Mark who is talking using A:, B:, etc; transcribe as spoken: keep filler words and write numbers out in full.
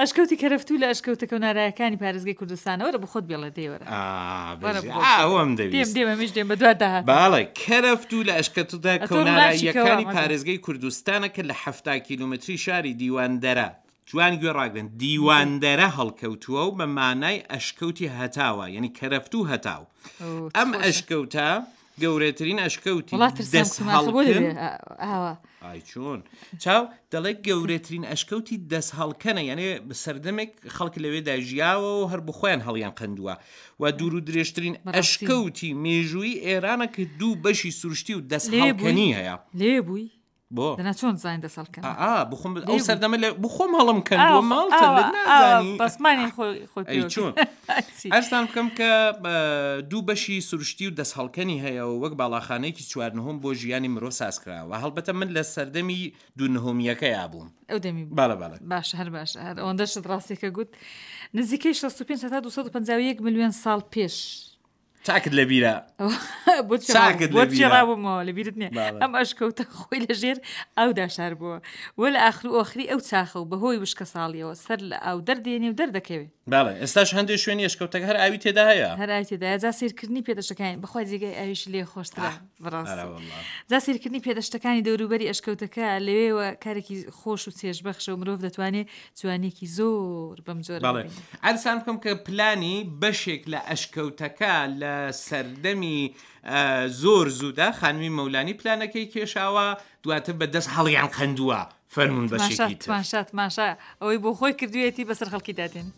A: ئەشکەوتی کەرەفتوو لە ئەشکەوتە کەونارایەکانی پارێزگەی کوردستانە. وەرە بۆ خۆت بێڵێ دەی وەرە.
B: ئا،
A: وەرە
B: بژی.
A: بۆ خۆت.
B: ئا، ئەوەم
A: دێم
B: دەویست.
A: دێم ئەمیش دێم بە دوات داهاتم.
B: بەڵێ، کەرەفتوو لە ئەشکەوتە
A: ئەتۆ ڕووناکی کەوا
B: کەوناراییەکانی
A: مەگە.
B: پارێزگەی کوردستانە کە لە حەفتا کیلۆمەتری شاری دیواندەرە، جوان گوێ ڕاگرن، دیواندەرە هەڵکەوتووە و بە مانای ئەشکەوتی هەتاوە، یعنی کەرەفتوو هەتاو.
A: ئەو، چ
B: ئەم
A: خۆشە.
B: ئەشکەوتە گەورەترین ئەشکەوتی
A: وڵات ترسام
B: دەست
A: کوماخە بۆ
B: هەڵکەن.
A: دەبێ، ئا، ئاوا.
B: ئای چۆن چاو دەڵێ گەورەترین ئەشکەوتی دەست هەڵکەنە، یعنی سەردەمێک خەڵک لەوێدا ژیاوە و هەر بۆ خۆیان هەڵیان قەندووە و دوور و درێژترین
A: بەڕاستی.
B: ئەشکەوتی مێژووی ئێرانە کە دوو بەشی سروشتی و دەست
A: لێ بووی؟
B: هەڵکەنی هەیە.
A: لێ بووی؟
B: بۆ؟
A: دەنا چۆن زانین دەست هەڵکەنە؟
B: ئا، ئا، بخۆم ئەو
A: لێ بووی.
B: سەردەمە لە بخۆم هەڵم کەندووە،
A: ئاو،
B: ماڵتە
A: ئاوا،
B: لە نازانی.
A: ئاوا، بەسمانی خۆی، خۆی
B: ئەی
A: پێوە
B: چۆن؟
A: چی؟
B: ئەرزان بکەم کە، بە، دوو بەشی سروشتی و دەست هەڵکەنی هەیە و وەک باڵاخانەیەکی چوار نهۆم بۆ ژیانی مرۆڤ ساز کراوە. هەڵبەتە من لە سەردەمی دوو نهۆمیەکەیا بووم.
A: ئەو دەمی بوو.
B: بەڵێ، بەڵێ.
A: باشە، هەر باشە، هەر ئەوەندە شت ڕاستیەکە گوت. نزیکەی شەست و پێنج هەتا دوو سەد و پەنجا و یەک ملیۆن ساڵ پێش.
B: چاکت لەبیرە.
A: بۆ چێ
B: چاکت
A: بۆ چێ
B: لەبیرە.
A: ڕابوومەوە، لەبیرت نییە.
B: بەڵێ.
A: ئەم ئەشکەوتە خۆی لەژێر ئاودا شار بووە. وە لە ئاخر و ئۆخری ئەو چاخە و بەهۆی وشکە ساڵیەوە سەر لە ئاو دەردێنێ و دەردەکەوێ.
B: بەڵێ، ئێستاش هەندێک شوێنی ئەشکەوتەکە هەر ئاوی تێدا هەیە.
A: هەر ئاوی تێدایە. جا سەیرکردنی پێدەشتەکانی، بەخوای جێگای ئاویش لێ خۆشترە،
B: ئاه،
A: بەڕاستی.
B: ئەرە وەڵڵا.
A: جا سەیرکردنی پێدەشتەکانی دەوروبەری ئەشکەوتەکە لەوێوە کارێکی خۆش و چێژبەخشە و مرۆڤ دەتوانێت جوانیەکی زۆر بەم جۆرە
B: بەڵێ.
A: ببینێ.
B: عەرزان بکەم کە پلانی بەشێک لە ئەشکەوتەکە لە سەردەمی، ئە، زۆر زوودا خانمی مەولانی پلانەکەی کێشاوە، دواتر بە دەست هەڵیان قەندووە. فەرمونون
A: تماشا،
B: بەشێکی تر.
A: تماشا، تماشا. ئەوەی بۆ خۆی کردوویەتی بەسەر خەڵکی دادێن.